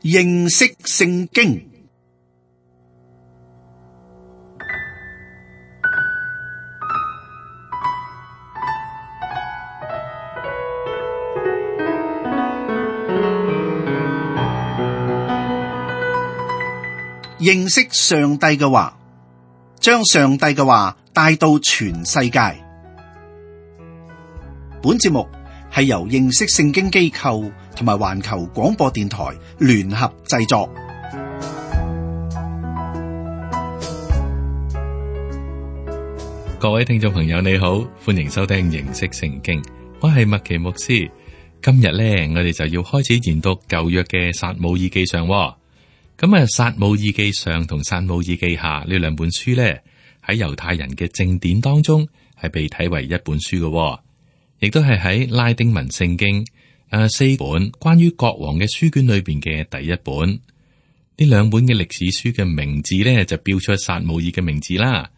認識聖經。認識上帝嘅話，將上帝嘅話帶到全世界。本節目係由認識聖經機構同埋環球廣播電台聯合製作。各位聽眾朋友你好，歡迎收聽認識聖經，我係麥奇牧師。今日呢，我哋就要開始研讀舊約嘅撒母耳記上。咁啊，撒母耳記上同撒母耳記下呢兩本書呢，喺猶太人嘅正典當中係被睇為一本書嘅，亦都係喺拉丁文聖經4本關於國王嘅書卷裏邊嘅第一本。呢兩本嘅歷史書嘅名字呢，就標出撒母耳嘅名字啦。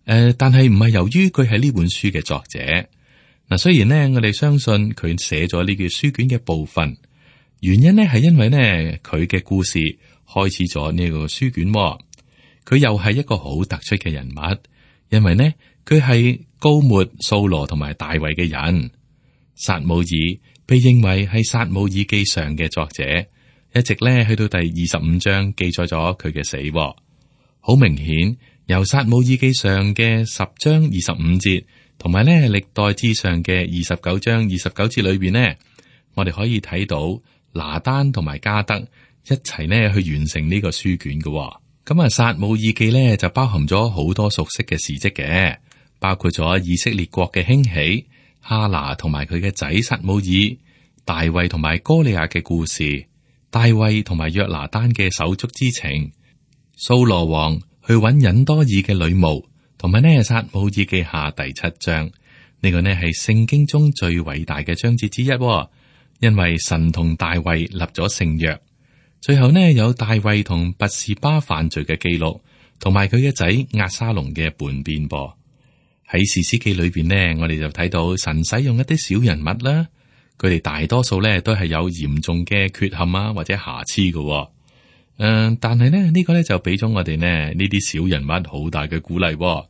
但係唔係由於佢係呢本書嘅作者。嗱，雖然呢，我哋相信佢寫咗呢卷書卷嘅部分，原因呢係因為呢，佢嘅故事開始咗呢個書卷，佢又係一個好突出嘅人物，因為呢，佢係膏抹掃羅同埋大衛嘅人。撒母耳被認為係撒母耳記上嘅作者，一直呢去到第25章記載咗佢嘅死。好明顯，由撒母耳記上嘅10章25節，同埋呢歷代志上嘅29章29節裏邊呢，我哋可以睇到拿單同埋加德一齊呢去完成呢個書卷嘅。咁啊，撒母耳記呢就包含咗好多熟悉嘅事跡嘅，包括咗以色列國嘅興起、哈拿同埋佢嘅仔撒母耳、大衛同埋哥利亞嘅故事、大衛同埋約拿單嘅手足之情、掃羅王去揾隱多珥嘅女巫，同埋呢撒母耳記下第7章，呢個呢係聖經中最偉大嘅章節之一，因為神同大衛立咗聖約。最後呢，有大衛同拔示巴犯罪嘅記錄，同埋佢嘅仔押沙龍嘅叛變噃。喺士師記裏邊呢，我哋就睇到神使用一啲小人物啦，佢哋大多數呢都係有嚴重嘅缺陷啊或者瑕疵嘅。但係呢，呢個呢就俾咗我哋呢啲小人物好大嘅鼓勵。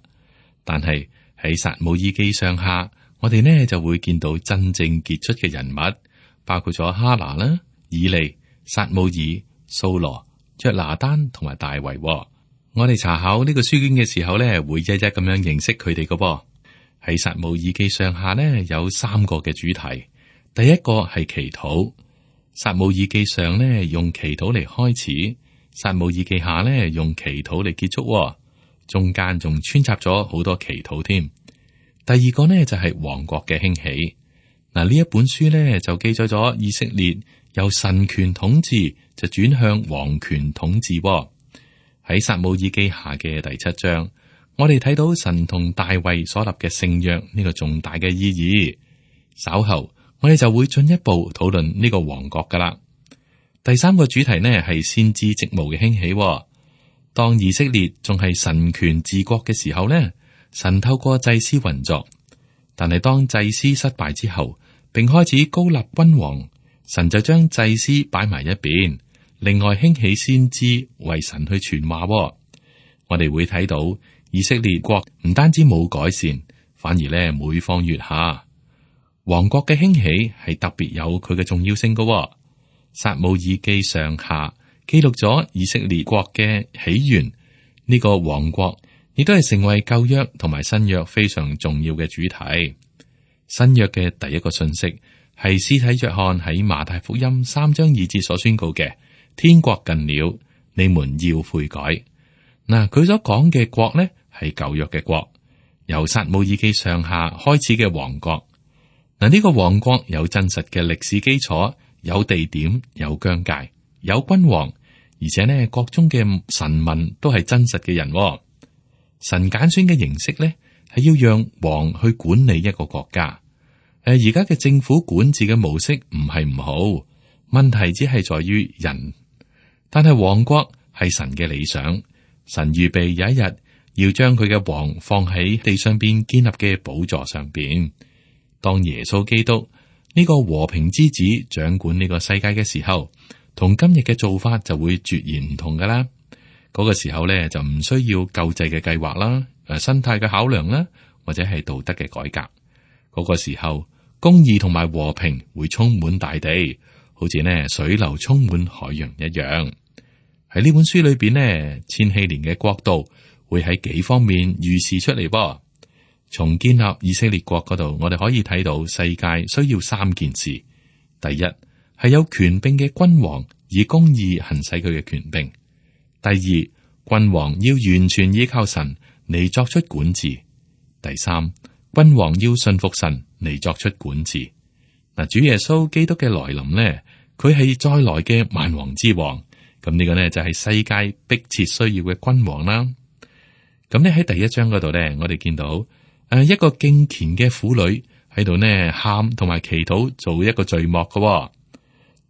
但係喺撒母耳記上下，我哋呢就會見到真正傑出嘅人物，包括咗哈拿啦、以利、撒母耳、掃羅、約拿單同埋大衛。我哋查考呢個書卷嘅時候呢，會一一咁樣認識佢哋嘅。喺撒母耳記上下呢，有3個嘅主題。第一個係祈禱，撒母耳記上呢用祈禱嚟開始，撒母耳記下呢用祈禱嚟結束，中間仲穿插咗好多祈禱添。第二個呢就係王國嘅興起。嗱，呢一本書呢就記載咗以色列由神權統治就轉向王權統治。喺撒母耳記下嘅第7章，我哋睇到神同大衛所立嘅聖約呢個重大嘅意義。稍後我哋就會進一步討論呢個王國噶啦。第3個主題呢係先知職務嘅興起。當以色列仲係神權治國嘅時候呢，神透過祭司運作，但係當祭司失敗之後，並開始高立君王，神就將祭司擺埋一邊，另外興起先知為神去傳話。我哋會睇到以色列國唔單止冇改善，反而咧每況愈下。王國嘅興起係特別有佢嘅重要性嘅。撒母耳記上下記錄咗以色列國嘅起源，呢個王國亦都係成為舊約同埋新約非常重要嘅主題。新約嘅第一個信息係司提約翰喺馬太福音3章2節所宣告嘅：天國近了，你們要悔改。嗱，佢所講嘅國呢係舊約嘅國，由撒母耳記上下開始嘅王國。嗱，呢個王國有真實嘅歷史基礎，有地點，有疆界，有君王，而且呢國中嘅臣民都係真實嘅人。神揀選嘅形式呢係要讓王去管理一個國家。而家嘅政府管治嘅模式唔係唔好，問題只係在於人。但係王國係神嘅理想，神預備有一日要將佢嘅王放喺地上邊建立嘅寶座上邊。當耶穌基督呢個和平之子掌管呢個世界嘅時候，同今日嘅做法就會截然唔同噶啦。嗰個時候咧就唔需要救濟嘅計劃啦，生態嘅考量啦，或者係道德嘅改革。嗰個時候，公義同埋和平會充滿大地，好似呢水流充滿海洋一樣。喺呢本書裏邊呢，千禧年嘅國度會喺幾方面預示出嚟噃。從建立以色列國嗰度，我哋可以睇到世界需要三件事：第一係有權柄嘅君王以公義行使佢嘅權柄；第二，君王要完全依靠神嚟作出管治；第三，君王要信服神嚟作出管治。嗱，主耶穌基督嘅來臨呢，佢係再來嘅萬王之王。咁呢個呢就係世界迫切需要嘅君王啦。咁呢喺第一章嗰度呢，我哋見到一個敬虔嘅婦女喺度呢喊同埋祈禱，做一個序幕嘅。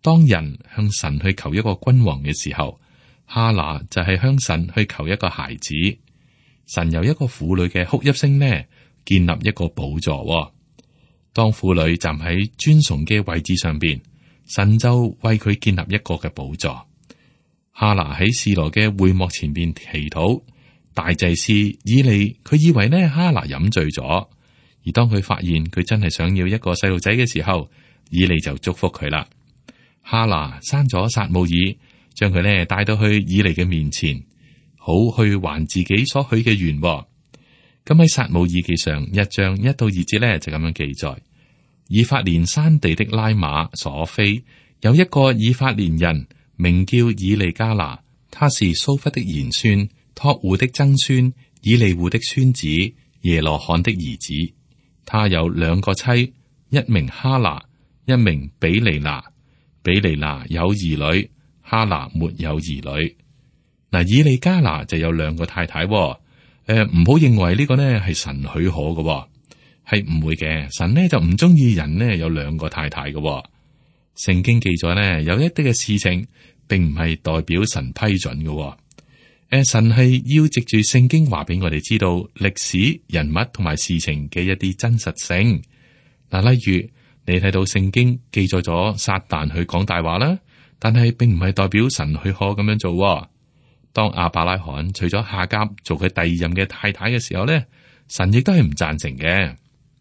當人向神去求一個君王嘅時候，哈拿就係向神去求一個孩子。神由一個婦女嘅哭泣聲呢，建立一個寶座。當婦女站喺尊崇嘅位置上邊，神就為佢建立一個嘅寶座。哈拿喺示羅嘅會幕前邊祈禱，大祭司以利佢以為呢哈拿飲醉咗，而當佢發現佢真係想要一個細路仔嘅時候，以利就祝福佢啦。哈拿生咗撒母耳，將佢呢帶到去以利嘅面前，好去還自己所許嘅願。咁喺撒母耳記上1章1到2節呢，就咁樣記載：以法蓮山地的拉馬所菲有一個以法蓮人，名叫以利加拿，他是蘇弗的賢孫，托戶的曾孫，以利戶的孫子，耶羅漢的兒子。他有2個妻，一名哈拿，一名比利拿。比利拿有兒女，哈拿沒有兒女。嗱，以利加拿就有2個太太。唔好認為呢個呢係神許可嘅，係唔會嘅。神呢就唔中意人呢有2個太太嘅。聖經記載呢，有一啲嘅事情，並唔係代表神批准嘅。神係要藉住聖經話俾我哋知道歷史、人物同埋事情嘅一啲真實性。嗱，例如你睇到聖經記載咗撒旦去講大話啦，但係並唔係代表神許可咁樣做。當亞伯拉罕娶咗夏甲做佢第2任嘅太太嘅時候呢，神亦都係唔贊成嘅。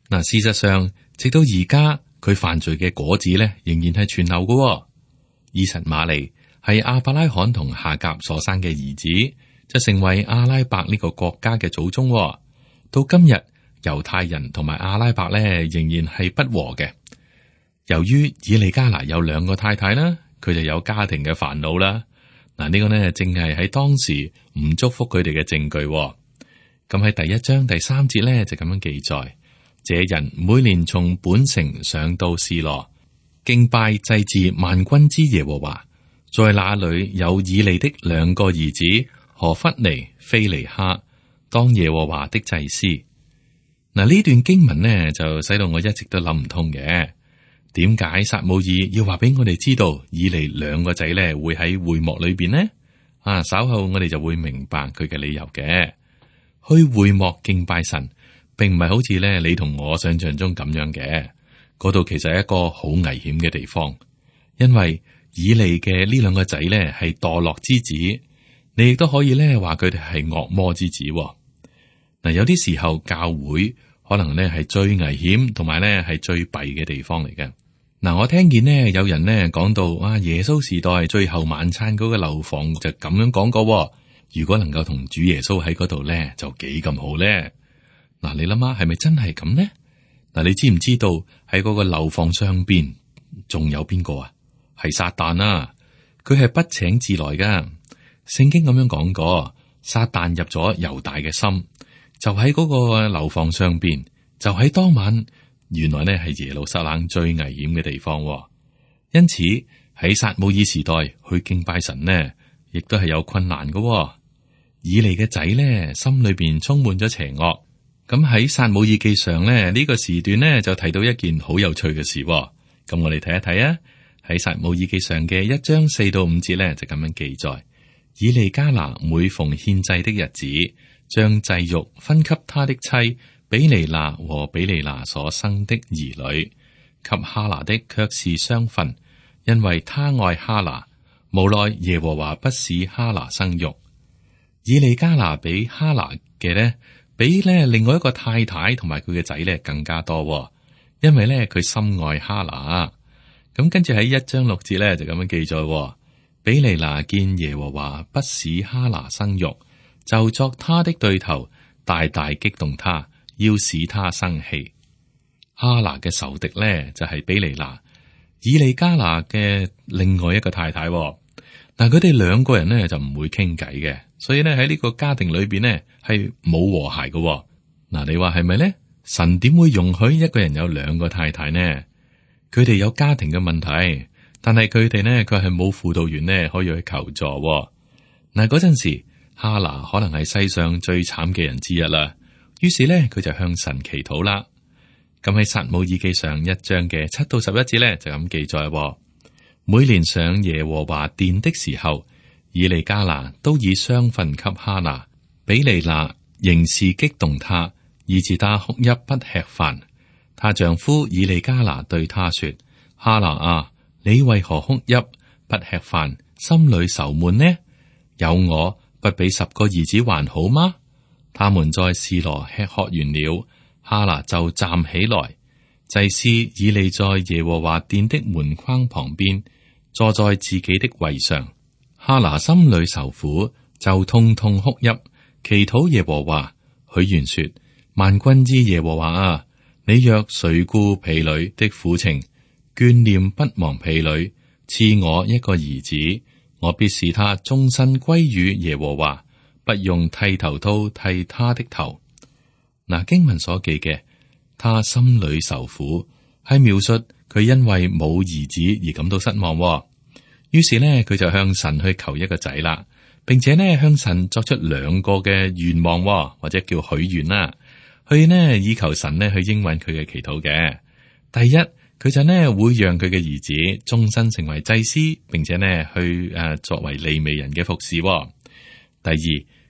嗱，事實上直到而家，佢犯罪嘅果子呢，仍然係存留嘅。以實瑪利係亞伯拉罕同夏甲所生嘅兒子，就成為阿拉伯呢個國家嘅祖宗。到今日，猶太人同埋阿拉伯呢，仍然係不和嘅。由於以利加拿有2個太太啦，佢就有家庭嘅煩惱啦。嗱，呢個呢，正係喺當時唔祝福佢哋嘅證據。咁喺第1章第3節呢，就咁樣記載：這人每年從本城上到示羅，敬拜祭祀萬軍之耶和華，在那裏有以利的2個兒子何弗尼、非尼哈，當耶和華的祭司。嗱，呢段經文呢，就使到我一直都諗唔通嘅。點解撒母耳要話俾我哋知道以利2個仔咧會喺會幕裏邊呢？稍後我哋就會明白佢嘅理由嘅。去會幕敬拜神，並唔係好似咧你同我想象中咁樣嘅。嗰度其實係一個好危險嘅地方，因為以利嘅呢2個仔咧係墮落之子，你亦都可以咧話佢哋係惡魔之子。嗱，有啲時候教會可能咧係最危險同埋咧係最弊嘅地方嚟嘅。嗱，我聽見呢有人呢講到耶穌時代最後晚餐嗰個樓房就咁樣講過，如果能夠同主耶穌喺嗰度咧，就幾咁好咧。嗱，你諗下係咪真係咁呢？嗱，你知唔知道喺嗰個樓房上邊仲有邊個啊？係撒旦啊！佢係不請自來噶。聖經咁樣講過，撒旦入咗猶大嘅心，就喺嗰個樓房上邊，就喺當晚。原來呢係耶路撒冷最危險嘅地方。因此喺撒母耳時代去敬拜神呢，亦都係有困難嘅。以利嘅仔呢，心裏邊充滿咗邪惡。咁喺撒母耳記上呢，呢個時段呢，就提到一件好有趣嘅事。咁我哋睇一睇啊，喺撒母耳記上嘅1章4到5節呢，就咁樣記載：以利加拿每逢獻祭的日子，將祭肉分給他的妻比尼拿和比尼拿所生的兒女，給哈拿的卻是雙份，因為他愛哈拿，無奈耶和華不使哈拿生育。以利加拿比哈拿嘅呢，比呢另外一個太太同埋佢嘅仔呢更加多，因為呢佢深愛哈拿。咁跟住喺1章6節呢就咁樣記載：比利拿見耶和華不使哈拿生育，就作他的對頭，大大激動他，要使他生氣。哈拿嘅仇敵呢就係比利拿，以利加拿嘅另外一個太太。但佢哋兩個人呢就唔會傾偈嘅，所以呢喺呢個家庭裏邊呢係冇和諧嘅。嗱，你話係咪呢？神點會容許一個人有兩個太太呢？佢哋有家庭嘅問題，但係佢哋呢佢係冇輔導員呢可以去求助。嗱，嗰陣時哈拿可能係世上最慘嘅人之一啦，於是呢佢就向神祈禱啦。咁喺撒母耳記上1章嘅7到11節呢就咁記載。每年上耶和華殿的時候，以利加拿都以雙份給哈拿，比利拿仍是激動他，以致他哭泣不吃飯。她丈夫以利加拿對他說：哈拿啊，你為何哭泣不吃飯，心裏愁悶呢？有我不比10個兒子還好嗎？他們在示羅吃喝完了，哈拿就站起來。祭司以利在耶和華殿的門框旁邊，坐在自己的位上。哈拿心裏愁苦，就痛痛哭泣，祈禱耶和華，許願說：萬軍之耶和華啊，你若垂顧婢女的苦情，眷念不忘婢女，賜我一個兒子，我必使他終身歸於耶和華，不用剃頭刀剃他的頭。嗱，經文所記嘅，他心裏愁苦，係描述佢因為冇兒子而感到失望。於是呢，佢就向神去求一個仔啦，並且呢向神作出2個嘅願望，或者叫許願啦，去呢以求神呢去應允佢嘅祈禱嘅。第一，佢就呢會讓佢嘅兒子終身成為祭司，並且呢去作為利未人嘅服侍。第二，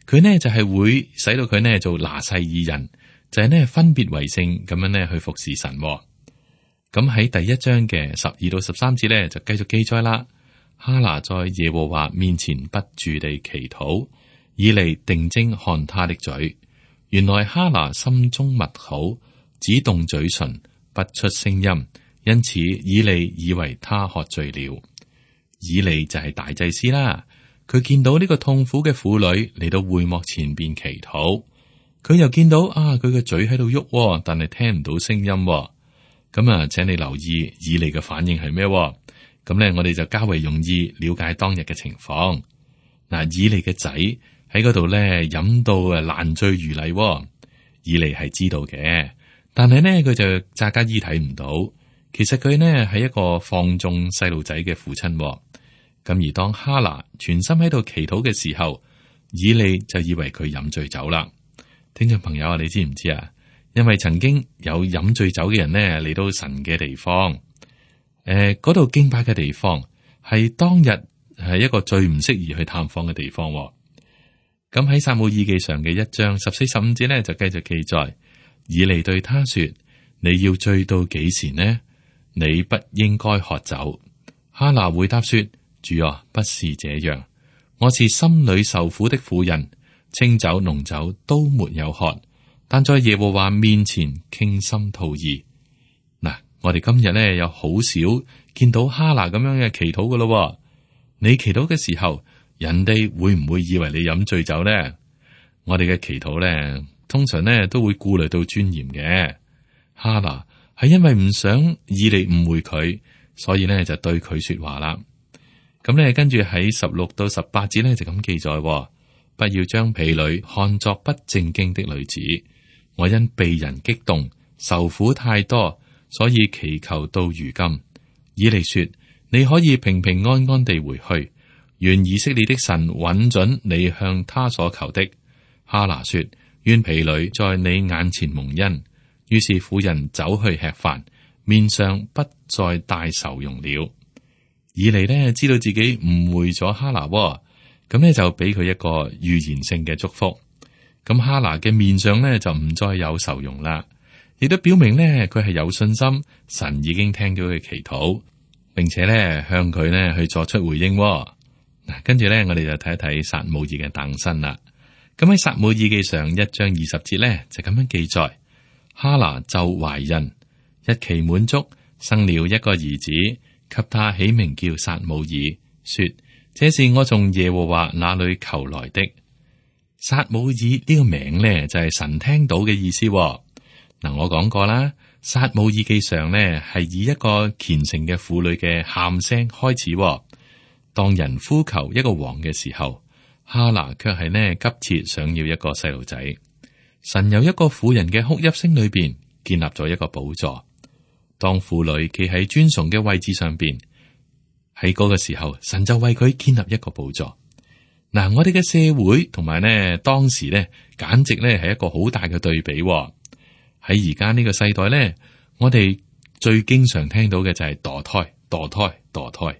佢呢就係會使到佢呢做拿細耳人，就係呢分別為聖咁樣呢去服侍神。咁喺第1章嘅12到13節呢就繼續記載啦。哈拿在耶和華面前不住地祈禱，以利定睛看他的嘴。原來哈拿心中默禱，只動嘴唇，不出聲音，因此以利以為他喝醉了。以利就係大祭司啦，佢見到呢個痛苦嘅婦女嚟到會幕前邊祈禱，佢又見到佢嘅嘴喺度喐，但係聽唔到聲音。咁請你留意以利嘅反應係咩？咁咧，我哋就較為容易了解當日嘅情況。嗱，以利嘅仔喺嗰度咧飲到爛醉如泥，以利係知道嘅，但係呢，佢就詐假意睇唔到。其實佢呢係一個放縱細路仔嘅父親。咁而當哈拿全心喺度祈禱嘅時候，以利就以為佢飲醉酒啦。聽眾朋友啊，你知唔知啊？因為曾經有飲醉酒嘅人呢嚟到神嘅地方。嗰度敬拜嘅地方係當日係一個最唔適宜去探訪嘅地方。咁喺撒母耳記上嘅1章14、15節呢，就繼續記載，以利對他說：你要醉到幾時呢？你不應該喝酒。哈拿回答說：主啊，不是這樣，我是心裏受苦的婦人，清酒濃酒都沒有喝，但在耶和華面前傾心吐意。我哋今日咧有好少見到哈拿咁樣嘅祈禱噶咯。你祈禱嘅時候，人哋會唔會以為你飲醉酒咧？我哋嘅祈禱咧，通常咧都會顧慮到尊嚴嘅。哈拿係因為唔想以利誤會佢，所以咧就對佢說話啦。咁咧跟住喺16到18節咧就咁記載：不要將婢女看作不正經的女子，我因被人激動，受苦太多，所以祈求到如今。以利說：你可以平平安安地回去，願以色列的神允准你向他所求的。哈拿說：願婢女在你眼前蒙恩。於是婦人走去吃飯，面上不再帶愁容了。以利呢知道自己誤會咗哈拿，咁呢就俾佢一個預言性嘅祝福。咁哈拿嘅面上呢就唔再有愁容啦。亦都表明呢，佢係有信心，神已經聽到佢祈禱，並且呢向佢呢去作出回應。嗱，跟住咧，我哋就睇一睇撒母耳嘅誕生啦。咁喺撒母耳記上1章20節咧，就咁樣記載：哈拿就懷孕，日期滿足，生了一個兒子，給他起名叫撒母耳，說：這是我從耶和華那裏求來的。撒母耳呢個名咧，就係神聽到嘅意思。嗱，我講過啦，撒母耳記上咧係以一個虔誠嘅婦女嘅喊聲開始。當人呼求一個王嘅時候，哈拿卻係呢急切想要一個細路仔。神由一個婦人嘅哭泣聲裏邊建立咗一個寶座。當婦女企喺尊崇嘅位置上邊，喺嗰個時候，神就為佢建立一個寶座。嗱，我哋嘅社會同埋呢當時呢，簡直呢係一個好大嘅對比。喺而家呢個世代呢，我哋最經常聽到嘅就係墮胎、墮胎、墮胎。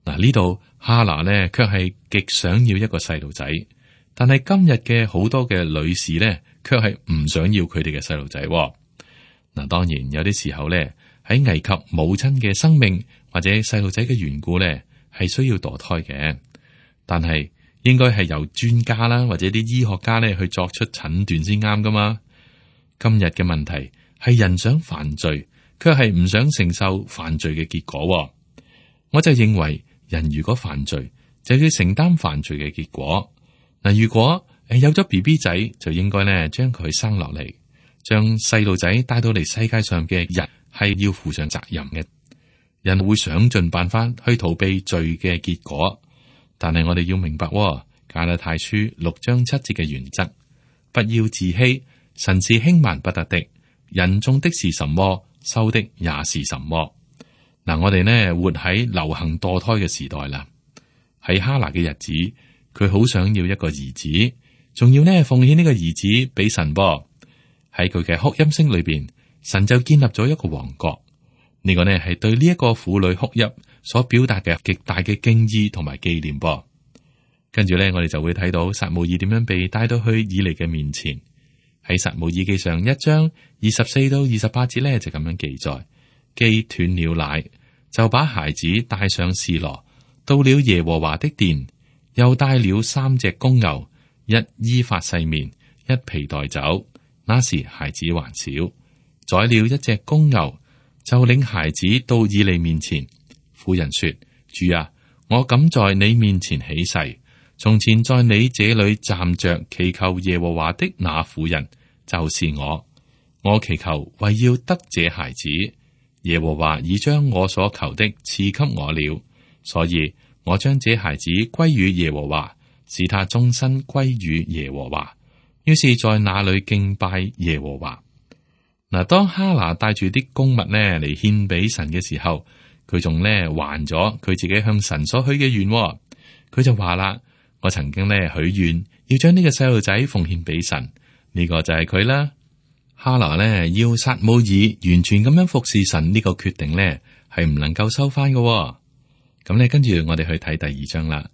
嗱，呢度哈拿呢，卻係極想要一個細路仔，但係今日嘅好多嘅女士呢，卻係唔想要佢哋嘅細路仔。嗱，當然有啲時候呢，喺危及母親嘅生命或者細路仔嘅緣故呢，係需要墮胎嘅，但係應該係由專家啦或者啲醫學家呢去作出診斷先啱噶嘛。今日嘅問題係人想犯罪，卻係唔想承受犯罪嘅結果。我就認為，人如果犯罪，就要承擔犯罪嘅結果。嗱，如果有咗 BB 仔，就應該咧將佢生落嚟，將細路仔帶到嚟世界上嘅人係要負上責任嘅。人會想盡辦法去逃避罪嘅結果，但係我哋要明白，加拉太書6章7節嘅原則：不要自欺，神是輕慢不得的，人種的是什麼，收的也是什麼。嗱，我哋呢活喺流行墮胎嘅時代啦。喺哈拿嘅日子，佢好想要一個兒子，仲要呢奉獻呢個兒子俾神噃。喺佢嘅哭泣聲裏邊，神就建立咗一個王國。呢個呢係對呢一個婦女哭泣所表達嘅極大嘅敬意同埋紀念噃。跟住呢，我哋就會睇到撒母耳點樣被帶到去以利嘅面前。喺撒母耳記上1章24到28節呢，就咁樣記載。既斷了奶，就把孩子帶上示羅，到了耶和華的殿，又帶了3隻公牛，一伊法細麵，一皮袋酒。那時孩子還小，宰了一隻公牛，就領孩子到以利面前。婦人說：主啊，我敢在你面前起誓，從前在你這裏站着祈求耶和華的那婦人，就是我。我祈求為要得這孩子。耶和華已將我所求的賜給我了，所以我將這孩子歸於耶和華，使他終身歸於耶和華。於是，在那裏敬拜耶和華。嗱，當哈拿帶住啲公物呢嚟獻俾神嘅時候，佢仲呢還咗佢自己向神所許嘅願。佢就話啦：我曾經呢許願要將呢個細路仔奉獻俾神，呢個就係佢啦。哈拿呢要撒母耳完全咁樣服侍神呢個決定呢係唔能夠收翻嘅。咁呢跟住我哋去睇第2章啦。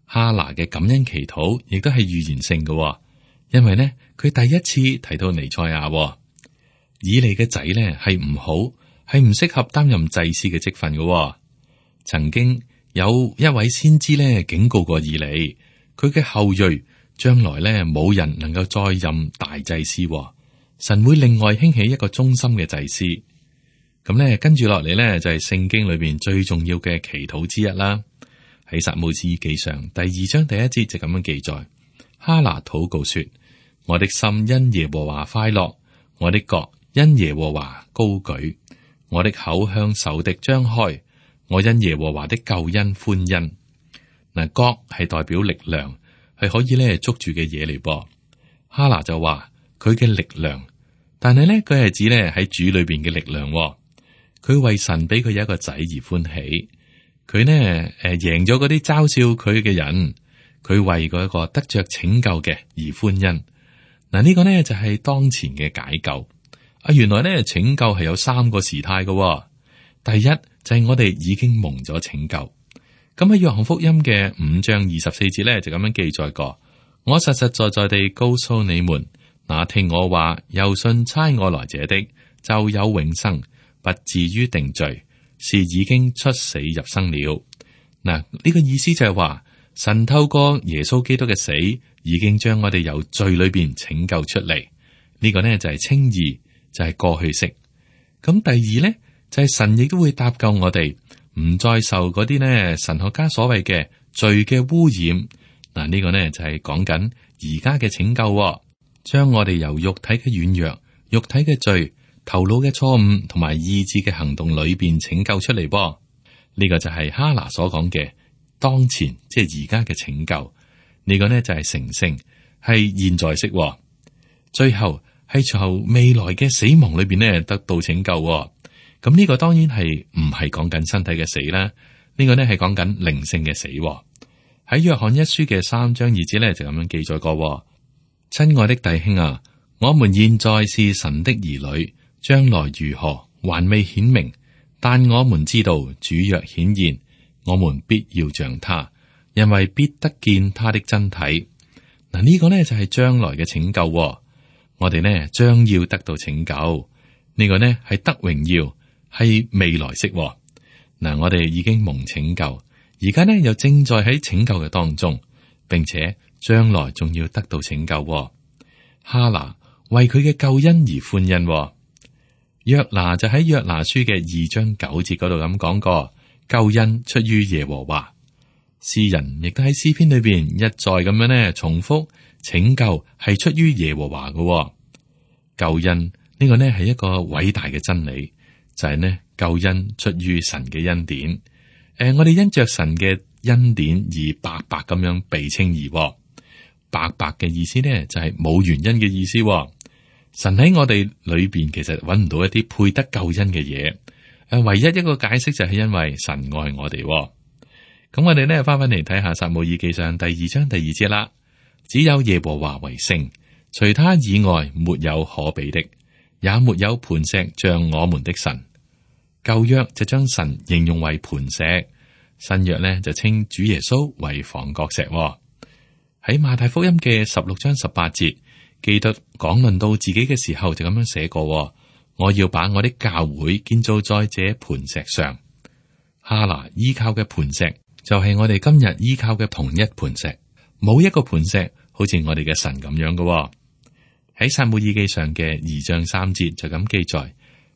哈拿嘅感恩祈禱亦都係預言性嘅，因為呢佢第一次提到彌賽亞。以利嘅仔呢係唔好，係唔適合擔任祭司嘅職分嘅。曾經有一位先知呢警告過以利，佢嘅後裔將來呢冇人能夠再任大祭司。神會另外興起一個忠心嘅祭司。咁咧，跟住落嚟咧就係聖經裏邊最重要嘅祈禱之一啦。喺撒母耳記上第2章第1節就咁樣記載：哈拿禱告說：我的心因耶和華快樂，我的角因耶和華高舉，我的口向仇敵張開，我因耶和華的救恩歡欣。嗱，角係代表力量，係可以咧捉住嘅嘢嚟噃。哈拿就話佢嘅力量，但係咧佢係指咧喺主裏邊嘅力量。佢為神俾佢有一個仔而歡喜，佢呢贏咗嗰啲嘲笑佢嘅人，佢為嗰一個得着拯救嘅而歡欣。嗱，呢個呢就係當前嘅解救。原來呢拯救係有3個時態嘅。第一就係我哋已經蒙咗拯救。咁喺約翰福音嘅5章24節呢，就咁樣記載過：我實實在在地告訴你們，那聽我話又信差我來者的，就有永生，不至於定罪，是已經出死入生了。嗱，呢個意思就係話神透過耶穌基督嘅死，已經將我哋由罪裏邊拯救出嚟。呢個呢就係稱義，就係過去式。咁第二呢，就係神亦都會搭救我哋，唔再受嗰啲呢神學家所謂嘅罪嘅污染。嗱，呢個呢就係講緊而家嘅拯救，將我哋由肉體嘅軟弱、肉體嘅罪、頭腦嘅錯誤同埋意志嘅行動裏邊拯救出嚟。噃，呢個就係哈拿所講嘅當前，即係而家嘅拯救。呢個呢就係成聖，係現在式。最後係從未來嘅死亡裏邊呢得到拯救。咁呢個當然係唔係講緊身體嘅死啦，呢個呢係講緊靈性嘅死。喺約翰一書嘅3章2節呢就咁樣記載過：親愛的弟兄啊，我們現在是神的兒女，將來如何還未顯明，但我們知道主若顯現，我們必要像他，因為必得見他的真體。嗱，呢個呢就係將來嘅拯救。我哋呢將要得到拯救，呢個呢係得榮耀，係未來式。嗱，我哋已經蒙拯救，而家呢又正在喺拯救嘅當中，並且將來仲要得到拯救。哈拿為佢嘅救恩而歡欣。約拿就喺約拿書嘅2章9節嗰度咁講過，救恩出於耶和華。詩人亦都喺詩篇裏邊一再咁樣呢重複，拯救係出於耶和華嘅。救恩呢個呢係一個偉大嘅真理，就係呢救恩出於神嘅恩典。我哋因着神嘅恩典而白白咁樣被稱義。白白嘅意思呢就係冇原因嘅意思。神喺我哋裏邊其實揾唔到一啲配得救恩嘅嘢。唯一一個解釋就係因為神愛我哋。咁我哋呢翻返嚟睇下撒母耳記上第2章第2節啦。只有耶和華為聖，除他以外沒有可比的，也沒有磐石像我們的神。舊約就將神形容為磐石，新約呢就稱主耶穌為房角石。喺馬太福音嘅16章18節，基督講論到自己嘅時候就咁樣寫過：我要把我的教會建造在這磐石上。哈拿依靠嘅磐石就係我哋今日依靠嘅同一磐石，冇一個磐石好似我哋嘅神咁樣嘅。喺撒母耳記上嘅2章3節就咁記載：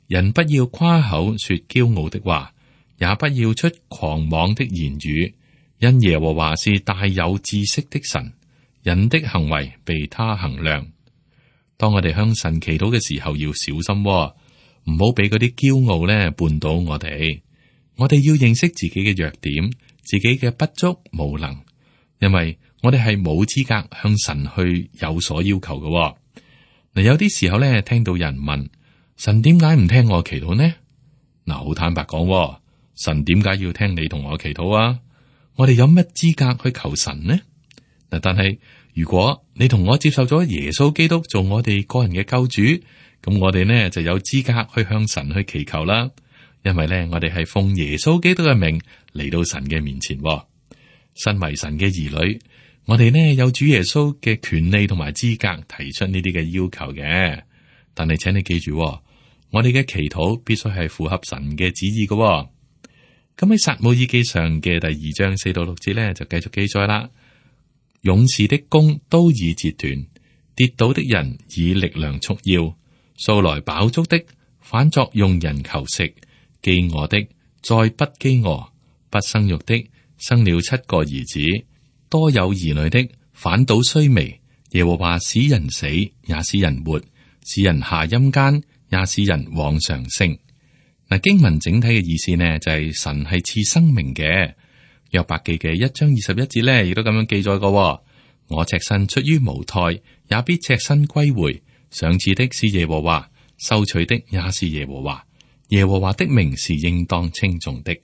人不要誇口說驕傲的話，也不要出狂妄的言語，因耶和華是大有知識的神，人的行為被他衡量。當我哋向神祈禱嘅時候，要小心，唔好俾嗰啲驕傲咧絆倒我哋。我哋要認識自己嘅弱點，自己嘅不足無能，因為我哋係冇資格向神去有所要求嘅。嗱，有啲時候咧，聽到人問神點解唔聽我祈禱呢？嗱，好坦白講，神點解要聽你同我祈禱啊？我哋有乜資格去求神呢？嗱，但係如果你同我接受咗耶穌基督做我哋個人嘅救主，咁我哋呢就有資格去向神去祈求啦。因為呢，我哋係奉耶穌基督嘅名嚟到神嘅面前。身為神嘅兒女，我哋呢有主耶穌嘅權利同埋資格提出呢啲嘅要求嘅。但係請你記住，我哋嘅祈禱必須係符合神嘅旨意嘅。咁喺撒母耳記上嘅第2章4到6節呢，就繼續記載啦。勇士的弓都已折斷，跌倒的人以力量束腰，素來飽足的反作用人求食，飢餓的再不飢餓，不生育的生了7個兒子，多有兒女的反倒衰微。耶和華使人死，也使人活，使人下陰間，也使人往上升。嗱，經文整體嘅意思呢，就係神係賜生命嘅。約伯記嘅1章21節呢，亦都咁樣記載過：我赤身出於無胎，也必赤身歸回。賞賜的是耶和華，收取的也是耶和華。耶和華的名是應當稱頌的。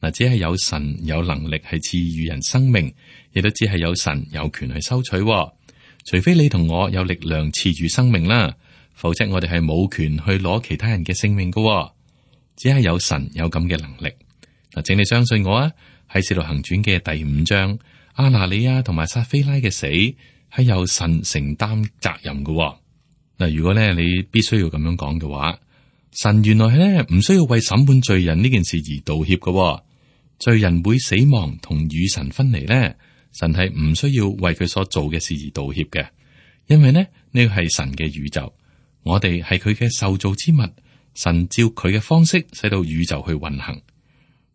嗱，只係有神有能力係賜予人生命，亦都只係有神有權去收取。除非你同我有力量賜予生命啦，否則我哋係冇權去攞其他人嘅性命噶。只係有神有咁嘅能力。嗱，請你相信我啊！喺《使徒行傳》嘅第5章，亞拿尼亞同埋撒非拉嘅死係由神承擔責任噶。嗱，如果咧你必須要咁樣講嘅話，神原來咧唔需要為審判罪人呢件事而道歉噶。罪人會死亡同與神分離咧，神係唔需要為佢所做嘅事而道歉嘅，因為呢個係神嘅宇宙，我哋係佢嘅受造之物，神照佢嘅方式使到宇宙去運行。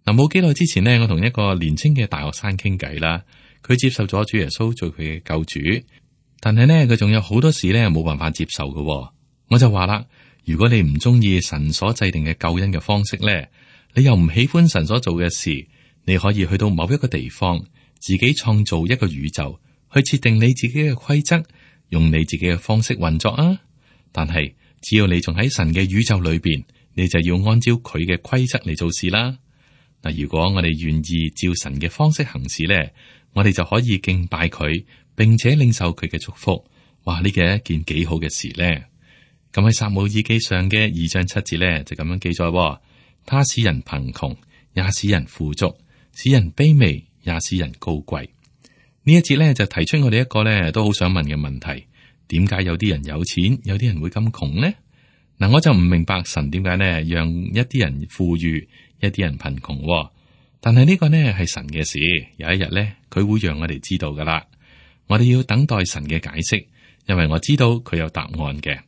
嗱，冇幾耐之前呢，我同一個年輕嘅大學生傾偈啦，佢接受咗主耶穌做佢嘅救主，但係呢，佢仲有好多事呢冇辦法接受嘅。我就話啦，如果你唔中意神所制定嘅救恩嘅方式呢，你又唔喜歡神所做嘅事，你可以去到某一個地方，自己創造一個宇宙，去設定你自己嘅規則，用你自己嘅方式運作啊。但係只要你仲喺神嘅宇宙裏邊，你就要按照佢嘅規則嚟做事啦。嗱，如果我哋願意照神嘅方式行事咧，我哋就可以敬拜佢，並且領受佢嘅祝福。哇，呢個係一件幾好嘅事咧。咁喺撒母耳記上嘅2章7節咧，就咁樣記載：他使人貧窮，也使人富足；使人卑微，也使人高貴。呢一節咧就提出我哋一個咧都好想問嘅問題：點解有啲人有錢，有啲人會咁窮呢？嗱，我就唔明白神點解呢讓一啲人富裕，一啲人貧窮。但係呢個呢係神嘅事，有一日呢，佢會讓我哋知道噶啦。我哋要等待神嘅解釋，因為我知道佢有答案嘅。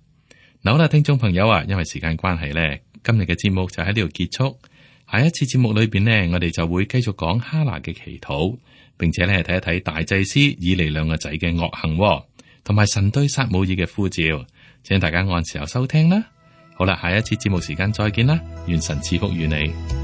嗱，好啦，聽眾朋友啊，因為時間關係呢，今日嘅節目就喺呢度結束。下一次節目裏邊呢，我哋就會繼續講哈拿嘅祈禱，並且呢睇一睇大祭司以利兩個仔嘅惡行，同埋神對撒母耳嘅呼召。請大家按時候收聽啦。好啦，下一次節目時間再見啦，願神賜福與你。